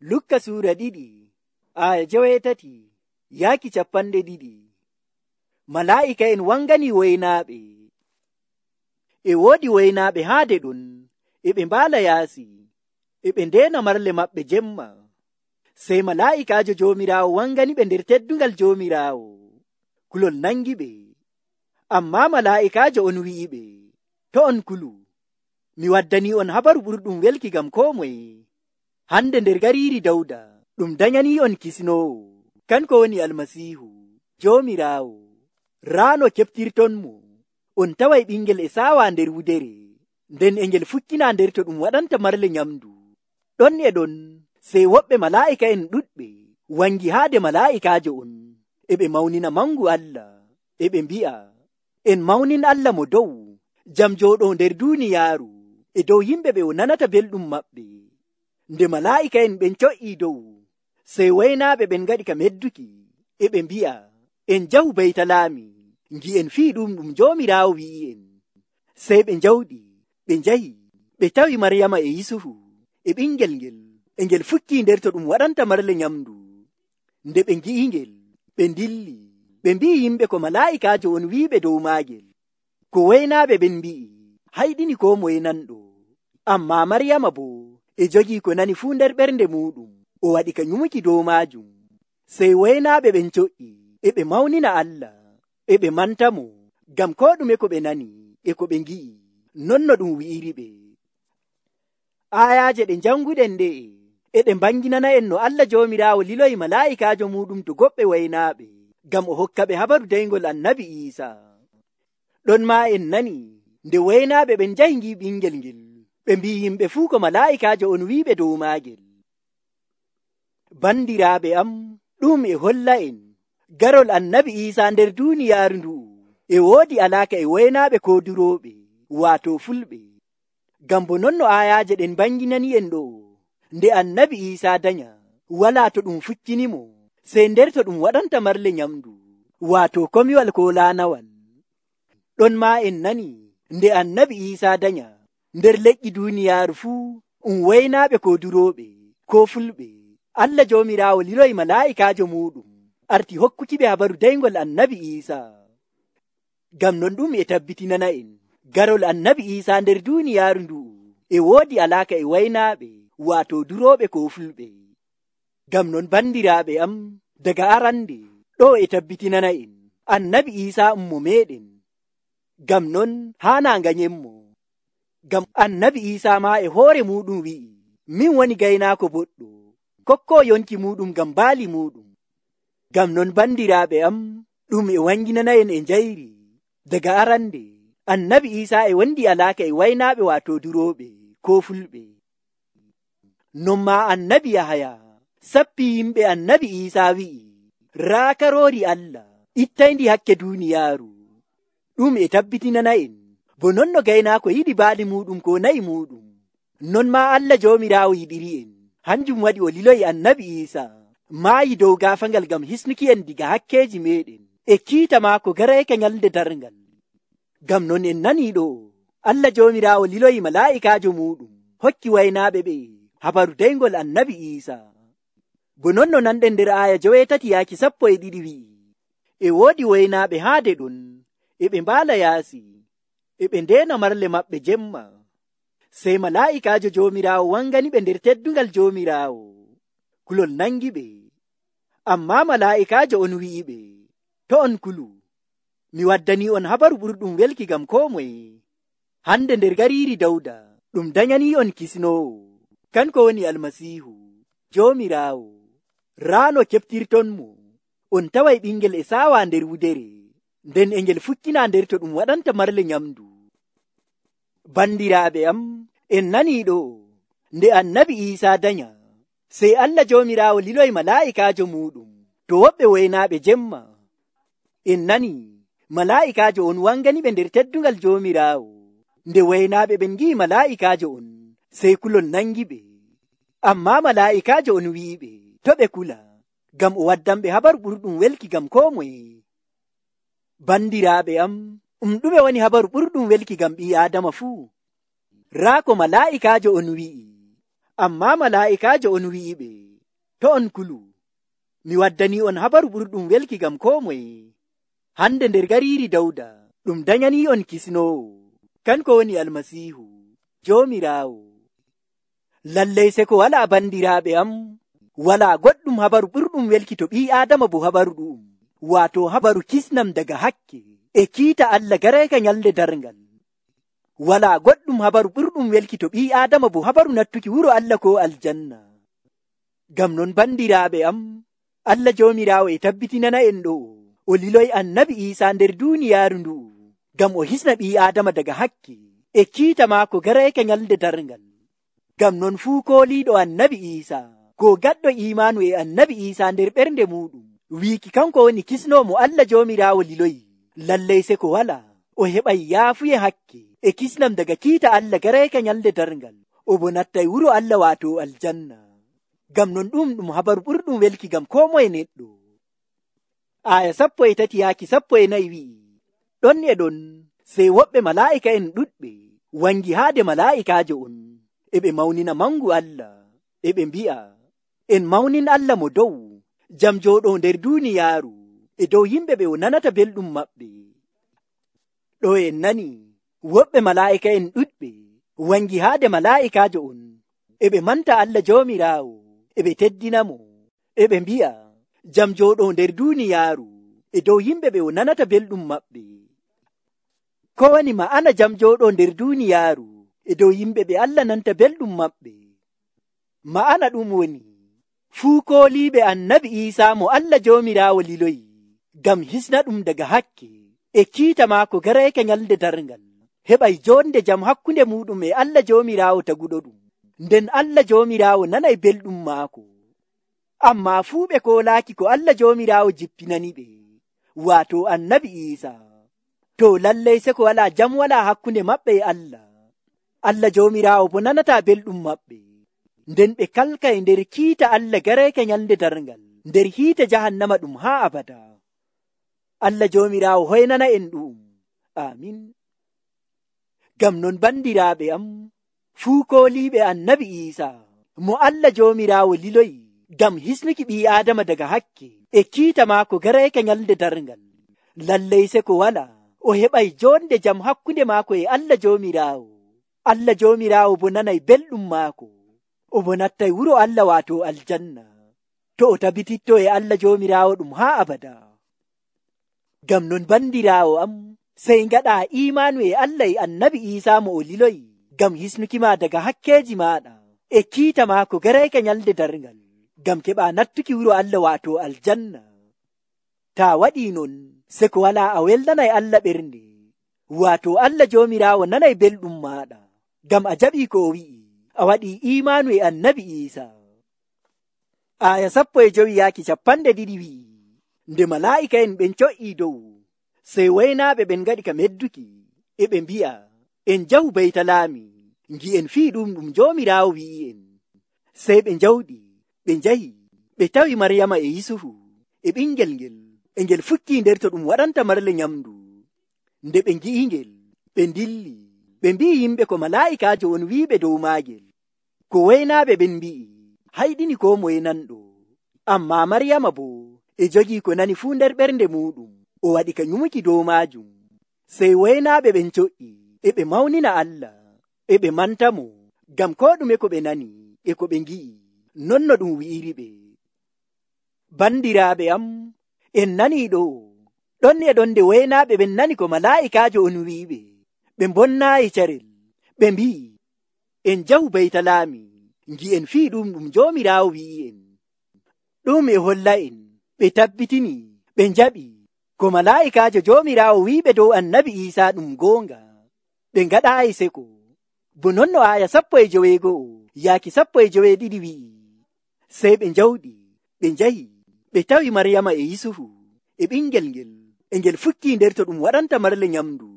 Lukka suura 2 aya 17 yaaki 2. Malaa'ika'en wangani waynaaɓe. E woodi waynaaɓe haade ɗon, e ɓe mbaala yaasi, e ɓe ndeena marle maɓɓe jemma. Sey malaa'ikaajo Joomiraawo wangani ɓe nder teddungal Joomiraawo. Kulol nangi ɓe. Ammaa malaa'ikaajo on wi'iɓe, to on kulu, mi waddanii on habaru ɓurɗum welki ngam koo moye. Hande nder gariiri Dawda, ɗum danyanii on kisnoowo, kanko woni Almasiihu, Joomiraawo. Raano keɓtirtonmo, on taway ɓingel e saawa nder wudere, nden e ngel fukkina nder to ɗum waɗanta marle nyamdu. Ɗon e ɗon, sey woɓɓe malaa'ika'en ɗuɗɓe wangi haade malaa'ikaajo on, e ɓe mawnina mangu Allah, e ɓe mbi'a, en mawnin Allah mo dow, jam jooɗoo nder duuniyaaru, e dow yimɓe ɓe o nanata belɗum maɓɓe. Nde malaa'ika'en ɓen co'ii dow, sey waynaaɓe ɓen ngaɗi ka medduki, e ɓe mbi'a, en jahu Baytalaami, ngi'en fii ɗum Joomiraawo wi'i'en. Sey ɓe njawɗi, ɓe njahi, ɓe tawi Maryama e Yusufu, e ɓingel ngel, e ngel fukkii nder to ɗum waɗanta marle nyamdu. Nde ɓe ngi'ingel, ɓe ndilli, ɓe mbi'i yimɓe ko malaa'ikaajo on wi'iɓe dow maagel. Ko waynaaɓe ɓen mbi'i, hayɗini koo moye nanɗo. Ammaa Maryama boo e jogii ko nani fuu nder ɓernde muuɗum, o waɗi ka nyumuki dow maajum. Sey waynaaɓe ɓen co'ii, e ɓe mawnina Allah, e ɓe mantamo, ngam koo ɗume ko ɓe nani, e ko ɓe ngi'i, non no ɗum wi'iri ɓe. Aayaaje ɗe janguɗen ɗe'e, e ɗe mbanginana en no Allah Joomiraawo liloyi malaa'ikaajo muɗum to goɓɓe waynaaɓe, ngam o hokka ɓe habaru dayngol Annabi Iisaa. Ɗon maa en nani, nde waynaaɓe ɓen njahi ngi ɓingel ngel, ɓe mbi'i yimɓe fuu ko malaa'ikaajo on wi'iɓe dow maagel. Bandiraaɓe am, ɗum e holla en, garol Annabi Iisaa nder duuniyaaru ndu'u, e woodi alaaka e waynaaɓe koodurooɓe, waato fulɓe. Ngam bo non no aayaaje ɗen banginani en ɗo, nde Annabi Iisaa danya, walaa to ɗum fukkinimo, sey nder to ɗum waɗanta marle nyamdu, waato komiwal koo laanawal. Ɗon maa en nani, nde Annabi Iisaa danya, nder leƴƴi duuniyaaru fuu, waynaaɓe koodurooɓe, koo fulɓe, Allah Joomiraawo liloyi malaa'ikaajo muuɗum, arti hokkuki ɓe habaru dayngol Annabi Iisaa. Ngam non ɗum e tabbitinana en, garol Annabi Iisaa nder duuniyaaru ndu'u, e woodi alaaka e waynaaɓe, waato durooɓe koo fulɓe. Ngam non bandiraaɓe am, daga arande, ɗo e tabbitinana en, Annabi Iisaa ummo meeɗen. Ngam non haanaa nganyenmo. Ngam Annabi Iisaa maa e hoore muuɗum wi'i, min woni gaynaako boɗɗo, kokkoo yonki muuɗum ngam baali muuɗum. Ngam non bandiraaɓe am, ɗum e wanginana en e njayri, daga arande, Annabi Iisaa e wondi alaaka e waynaaɓe waato durooɓe, koo fulɓe. Non maa Annabi Yahaya sappii yimɓe Annabi Iisaa wi'i, raa karoori Allah, ittayndi hakke duuniyaaru. Ɗum e tabbitinana en, bo non no gaynaako yiɗi baali muuɗum ko nayi muuɗum, non maa Allah Joomiraawo yiɗiri en, hanjum waɗi o liloyi Annabi Iisaa, maayi dow gaafangal ngam hisnuki en diga hakkeeji meeɗen, e kiita maako garayke nyalde darngal. Ngam non en nanii ɗo, Allah Joomiraawo liloyi malaa'ikaajo muuɗum, hokki waynaaɓe ɓe habaru dayngol Annabi Iisaa. Bo non no nanɗen nder aaya 17 yaaki 12 wi'i, e woodi waynaaɓe haade ɗon, e ɓe mbaala yaasi, e ɓe ndeena marle maɓɓe jemma. Sey malaa'ikaajo Joomiraawo wangani ɓe nder teddungal Joomiraawo. Kulol nangi ɓe. Ammaa malaa'ikaajo on wi'iɓe, to on kulu, mi waddanii on habaru ɓurɗum welki ngam koo moye. Hande nder gariiri Dawda, ɗum danyanii on kisnoowo, kanko woni Almasiihu, Joomiraawo. Raano keɓtirtonmo, on taway ɓingel e saawa nder wudere, nden e ngel fukkina nder to ɗum waɗanta marle nyamdu. Bandiraaɓe am, en nanii ɗo, nde Annabi Iisaa danya, sey Allah Joomiraawo liloyi malaa'ikaajo muuɗum, to woɓɓe waynaaɓe jemma. En nanii, malaa'ikaajo on wangani ɓe nder teddungal Joomiraawo. Nde waynaaɓe ɓen ngi'i malaa'ikaajo on, sey kulol nangi ɓe. Ammaa malaa'ikaajo on wi'iɓe, to ɓe kula, ngam o waddanɓe habaru ɓurɗum welki ngam koo moye. Bandiraaɓe am, ɗume woni habaru ɓurɗum welki ngam ɓii Aadama fuu? Raa ko malaa'ikaajo on wi'i, ammaa malaa'ikaajo on wi'iɓe, To on kulu, mi waddani on habaru ɓurɗum welki gam ko moye. Hande nder gariiri Dawda, ɗum danyani on kisnoowo, kanko woni Almasiihu, Joomiraawo. Lallay se ko walaa bandiraaɓe am, walaa goɗɗum habaru ɓurɗum welki to ɓii Aadama bo habaru ɗu'um, waato habaru kisnam daga hakke, e kiita Allah gareeka nyalde darngal. Walaa goɗɗum habaru ɓurɗum welki to ɓii Aadama bo habaru nattuki wuro Allah ko aljanna. Gam non bandiraaɓe am, Allah Joomiraawo e tabbitinana en ɗo, o liloy Annabi Iisaa nder duuniyaaru ndu'u, gam o hisna ɓii Aadama daga hakke, e kiita maako gareeka nyalde darngal. Gam non fuu kooliiɗo Annabi Iisaa, ko gaɗɗo iimanu e Annabi Iisaa nder ɓernde muɗum, wiiki kanko woni kisnoomo Allah Joomiraawo liloyi, lallay se ko walaa, o heɓay yaafuye hakke, e kisnam daga kiita Allah gareeka nyalde darngal, o bo nattay wuro Allah waato aljanna. Gam non ɗum habaru ɓurɗum welki gam ko moye neɗɗo. Aya 13 yaaki 14 wi'i, ɗon e ɗon sey woɓɓe malaa'ika en ɗuɗɓe wangi haade malaa'ikaajo on, e ɓe mawnina mangu Allah, e ɓe mbi'a, en mawnin Allah mo dow, jam jooɗo nder duuniyaaru, e dow yimɓe ɓe o nanata belɗum maɓɓe. Ɗo en nani, woɓɓe malaa'ika en ɗuɗɓe wangi haade malaa'ikaajo on, e ɓe manta Allah Joomiraawo, e ɓe teddinamo, e ɓe mbi'a, jam jooɗo nder duuniyaaru, e dow yimɓe ɓe o nanata belɗum maɓɓe. Ko woni ma'ana jam jooɗo nder duuniyaaru, e dow yimɓe ɓe Allah nanta belɗum maɓɓe? Ma'ana ɗum woni, fuu kooliiɓe Annabi Iisaa mo Allah Joomiraawo liloyi, gam hisna ɗum daga hakke, e kiita maako gareeka nyalde darngal, heɓay jonde jam hakkunde muɗum e Allah Joomiraawo taguɗo ɗum, nden Allah Joomiraawo nanay belɗum maako. Amma fuu ɓe koolaaki ko Allah Joomiraawo jippinani ɓe, waato Annabi Iisaa, to lallay se ko walaa jam walaa hakkunde maɓɓe e Allah. Allah Joomiraawo bo nanataa belɗum maɓɓe, nden ɓe kalkay nder kiita Allah gareeka nyalde darngal, nder hiite jahannama ɗum haa abada. Allah Joomiraawo hoynana en ɗum. Amin. Gam non bandiraaɓe am, fuu kooliiɓe Annabi Iisaa mo Allah Joomiraawo liloyi gam hisnuki ɓii Aadama daga hakke, e kiita maako gareeka nyalde darngal, lallay se ko walaa, o heɓay jonde jam hakkunde maako e Allah Joomiraawo. Allah Joomiraawo bo nanay belɗum maako, o bo nattay wuro Allah waato aljanna, to o tabititto e Allah Joomiraawo ɗum haa abada. Gam non bandiraawo am, sey ngaɗa iimanu e Allah e Annabi Iisaa mo o liloyi, gam hisnuki ma daga hakkeeji maaɗa, e kiita maako gareeka nyalde darngal, gam keɓa nattuki wuro Allah waato aljanna. Ta waɗii non, se ko walaa a welnanay Allah ɓernde, waato Allah Joomiraawo nanay belɗum maaɗa, gam a jaɓii ko o wi'i, a waɗii iimanu e Annabi Iisaa. Aya 15 yaaki 20 wi'i, nde malaa'ika en ɓen co'ii dow, sey waynaaɓe ɓen ngaɗi ka medduki, e ɓe mbi'a, en jahu Baytalaami, ngi'en fii ɗum Joomiraawo wi'i en. Sey ɓe njawɗi, ɓe njahi, ɓe tawi Maryama e Yusufu, e ɓingel ngel, e ngel fukkii nder to ɗum waɗanta marle nyamdu. Nde ɓe ngi'i ngel, ɓe ndilli, ɓe mbi'i yimɓe ko malaa'ikaajo on wi'iɓe dow maagel. Ko waynaaɓe ɓen mbi'i, hayɗini ko moye nanɗo. Amma Maryama bo, e jogii ko nani fuu nder ɓernde muɗum, o waɗi ka nyumuki dow maajum. Sey waynaaɓe ɓen co'i, e ɓe mawnina Allah, e ɓe manta mo, gam ko ɗume ko ɓe nani, e ko ɓe ngi'i, non no ɗum wi'iri ɓe. Bandiraaɓe am, en nanii ɗo, ɗon e ɗon nde waynaaɓe ɓen nani ko malaa'ikaajo on wi'iɓe, ɓe mbonnaayi carel, ɓe mbi'i, en jahu Baytalaami, ngi'en fii ɗum Joomiraawo wi'i en. Ɗum e holla en, ɓe tabbitini, ɓe njaɓi, ko malaa'ikaajo Joomiraawo wi'iɓe dow Annabi Iisaa ɗum goonga, ɓe ngaɗaayi seko. Bo non no aya 15 yaaki 12 wi'i, sey ɓe njawɗi, ɓe njahi, ɓe tawi Maryama e Yusufu, e ɓingel ngel, e ngel fukkii nder to ɗum waɗanta marle nyamdu.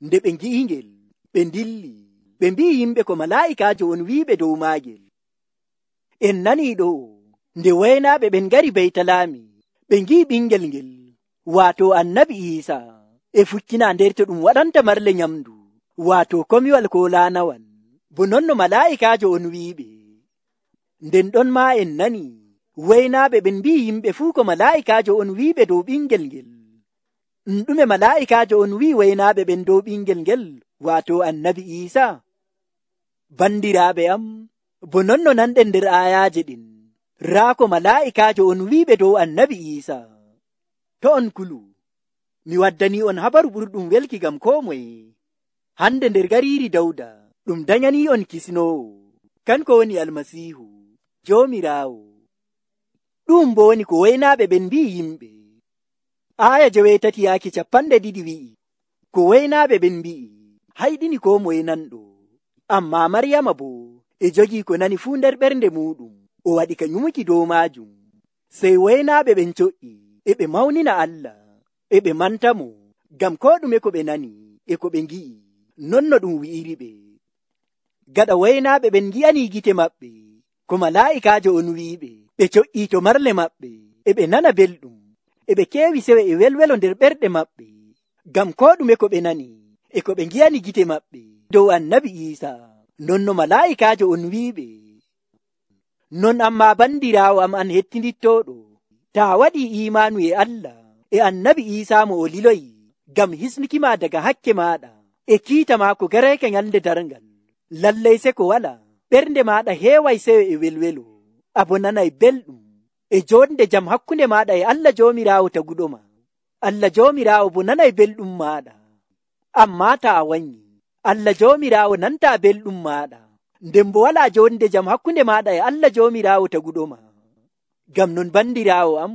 Nde ɓe ngi'i ngel, ɓe ndilli, ɓe mbi'i yimɓe ko malaa'ikaajo on wi'iɓe dow maagel. En nanii ɗo, nde waynaaɓe ɓen ngari Baytalaami, ɓe ngi'i ɓingel ngel, waato Annabi Iisaa, e fukkina nder to ɗum waɗanta marle nyamdu, waato komiwal ko laanawal, bo non no malaa'ikaajo on wi'iɓe. Nden ɗon ma en nani, waynaaɓe ɓen mbi'i yimɓe fuu ko malaa'ikaajo on wi'iɓe dow ɓingel ngel. Ɗume malaa'ikaajo on wi'i waynaaɓe ɓen dow ɓingel ngel, waato annabi Iisaa? Bandiraaɓe am, bo non no nanɗen nder aayaaje ɗin, raa ko malaa'ikaajo on wi'iɓe dow annabi Iisaa. To on kulu, mi waddanii on habaru ɓurɗum welki ngam koo moye. Hande nder gariiri Dawda, ɗum danyanii on kisnoowo, kanko woni Almasiihu, Joomiraawo. Ɗum bo woni ko waynaaɓe ɓen mbi'i yimɓe. Aaya 9:2 wi'i, ko waynaaɓe ɓen mbi'i, hayɗini koo moye nanɗo. Ammaa Maryama boo e jogii ko nani fuu nder ɓernde muuɗum, o waɗi ka nyumuki dow maajum. Sey waynaaɓe ɓen coƴƴi, e ɓe mawnina Allah, e ɓe mantamo, ngam koo ɗume ko ɓe nani e ko ɓe ngi'i, non no ɗum wi'iri ɓe. Gaɗa waynaaɓe ɓen ngi'anii gite maɓɓe, ko malaa'ikaajo on wi'iɓe, ɓe coƴƴii to marle maɓɓe, e ɓe nana belɗum, e ɓe keewi sewe e welwelo nder ɓerɗe maɓɓe, ngam koo ɗume ko ɓe nani e ko ɓe ngi'ani gite maɓɓe dow annabi Iisaa, non no malaa'ikaajo on wi'iɓe. Non ammaa bandiraawo am an hettindittooɗo, taa waɗii iimaanu e Allah e annabi Iisaa mo o liloyi ngam hisnukima daga hakke maaɗa e kiita maako gareeke nyalnde darngal, lallay se ko walaa, ɓernde maaɗa heeway sewe e welwelo, abo nanay belɗum e joonde jam hakkunde maaɗa e Allah Joomiraawo taguɗoma. Allah Joomiraawo bo nanay belɗum maaɗa. Ammaa taa wanyi, Allah Joomiraawo nantaa belɗum maaɗa, nden bo walaa joonde jam hakkunde maaɗa e Allah Joomiraawo taguɗoma. Ngam non bandiraawo am,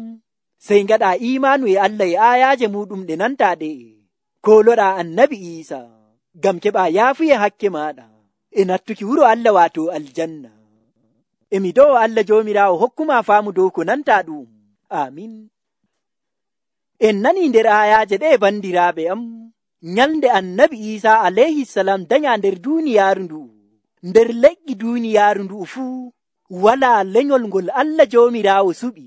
sey ngaɗaa iimaanu e Allah e aayaaje muɗum ɗe nantaa ɗe'e, kooloɗaa annabi Iisaa, ngam keɓaa yaafuye hakke maaɗa e nattuki wuro Allah waato aljanna. E mi do'o Allah Joomiraawo hokkuma faamu dow ko nantaa ɗum. Amin. En nanii nder aayaaje ɗe bandiraaɓe am, nyalnde annabi Iisaa alayhisalam danyaa nder duuniyaaru ndu'u. Nder leƴƴi duuniyaaru ndu'u fuu, walaa lenyol ngol Allah Joomiraawo suɓi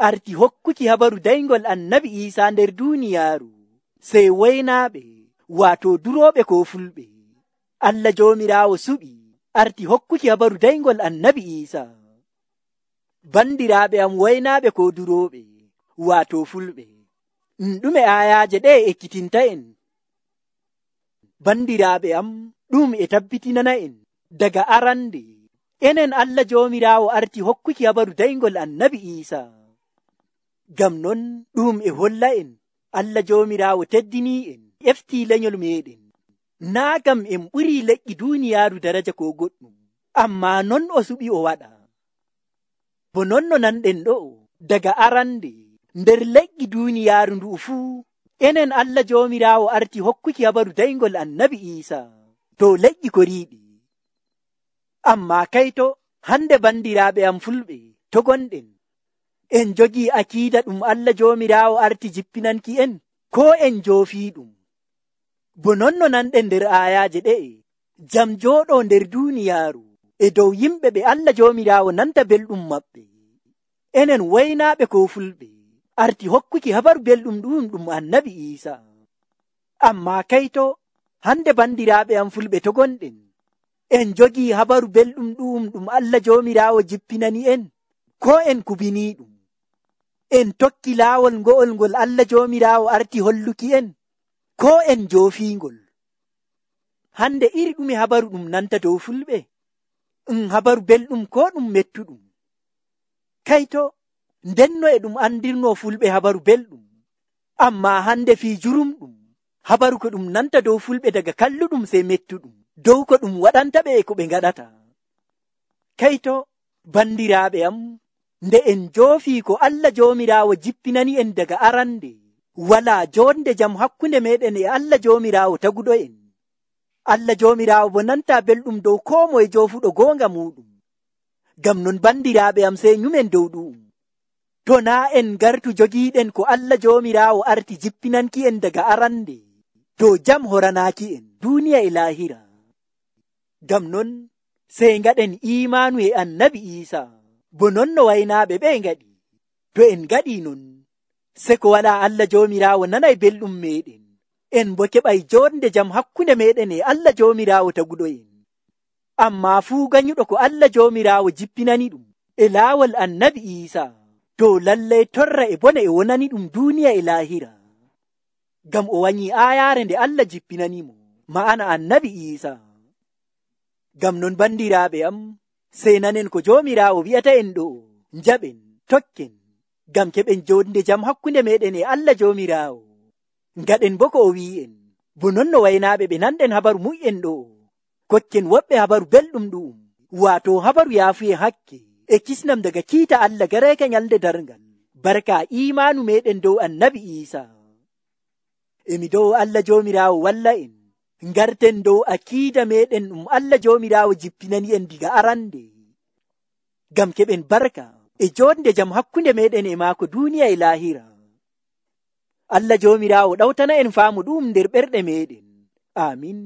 arti hokkuki habaru dayngol annabi Iisaa nder duuniyaaru, sey waynaaɓe waato durooɓe koo fulɓe. Allah Joomiraawo suɓi arti hokkuki habaru dayngol annabi Iisaa. Bandiraaɓe am waynaaɓe koo durooɓe, waato fulɓe, ɗume aayaaje ɗe ekkitinta en? Bandiraaɓe am, ɗum e tabbitinana en daga arande, enen Allah Joomiraawo arti hokkuki habaru dayngol annabi Iisaa. Ngam non ɗum e holla en Allah Joomiraawo teddinii en, eftii lenyol meeɗen, naa gam en ɓurii leƴƴi duuniyaaru daraja koo goɗɗum, ammaa non o suɓi o waɗa. Bo non no nanɗen ɗo'o, daga arande nder leƴƴi duuniyaaru ndu'u fuu, enen Allah Joomiraawo arti hokkuki habaru dayngol annabi Iisaa to leƴƴi ko riiɗi. Ammaa kayto hande bandiraaɓe am fulɓe to gonɗen, en jogii akiida ɗum Allah Joomiraawo arti jippinanki en, koo en joofii ɗum. Bo non no nanɗen nder aayaaje ɗe'e, jam jooɗoo nder duuniyaaru e dow yimɓe ɓe Allah Joomiraawo nanta belɗum maɓɓe. Enen waynaaɓe koo fulɓe arti hokkuki habaru belɗum ɗum annabi Iisaa. Ammaa kayto hande bandiraaɓe am fulɓe to gonɗen, en jogii habaru belɗum ɗum Allah Joomiraawo jippinani en, koo en kubinii ɗum. En tokki laawol ngo'ol ngol Allah Joomiraawo arti holluki en, koo en joofiingol. Hande iri ɗume habaru ɗum nanta dow fulɓe? Habaru belɗum koo ɗum mettuɗum? Kayto ndenno e ɗum andirnoo fulɓe habaru belɗum, ammaa hande fii jurumɗum, habaru ko ɗum nanta dow fulɓe daga kalluɗum sey mettuɗum, dow ko ɗum waɗanta ɓe e ko ɓe ngaɗata. Kayto bandiraaɓe am, nde en joofii ko Allah Joomiraawo jippinani en daga arande, walaa joonde jam hakkunde meɗen e Allah Joomiraawo taguɗo en. Allah Joomiraawo bo nantaa belɗum dow koo moye joofuɗo goonga muɗum. Ngam non bandiraaɓe am sey nyumen dow ɗum. To naa en gartu jogiiɗen ko Allah Joomiraawo arti jippinanki en daga arande, to jam horanaaki en duuniya e laahira. Ngam non sey ngaɗen iimaanu e annabi Iisaa, bo non no waynaaɓe ɓe ngaɗi. To en ngaɗii non, se ko walaa Allah Joomiraawo nanay belɗum meeɗen, en bo keɓay joonde jam hakkunde meeɗen e Allah Joomiraawo taguɗo en. Ammaa fuu ganyuɗo ko Allah Joomiraawo jippinani ɗum e laawol annabi Iisaa, to lallai torra e bone e wonani ɗum duniya e lahira. Ngam o wanyi ayaare nde Allah jippinanimo, ma'ana annabi Isa. Ngam non bandiraaɓe am, sey nanen ko Joomiraawo wi'ata en ɗo, njaɓen, tokken, ngam keɓen jonde jam hakkunde meɗen e Allah Joomiraawo. Ngaɗen bo ko o wi'en, bo non no waynaaɓe ɓe nanɗen habaru mu'en ɗo, kokken woɓɓe habaru belɗum ɗum, waato habaru yaafuye hakke, e kisnam daga kiita Allah gareka nyalde darngal, barka imanu meɗen dow annabi Isa. Emi dow Allah Joomiraawo walla en, ngarten dow akiida meɗen ɗum Allah Joomiraawo jippinani en diga arande, ngam keɓen barka e jonde jam hakkunde meɗen e maako duniya e lahira. Allah Joomiraawo ɗawtana en faamu ɗum nder ɓerɗe meɗen. Amin.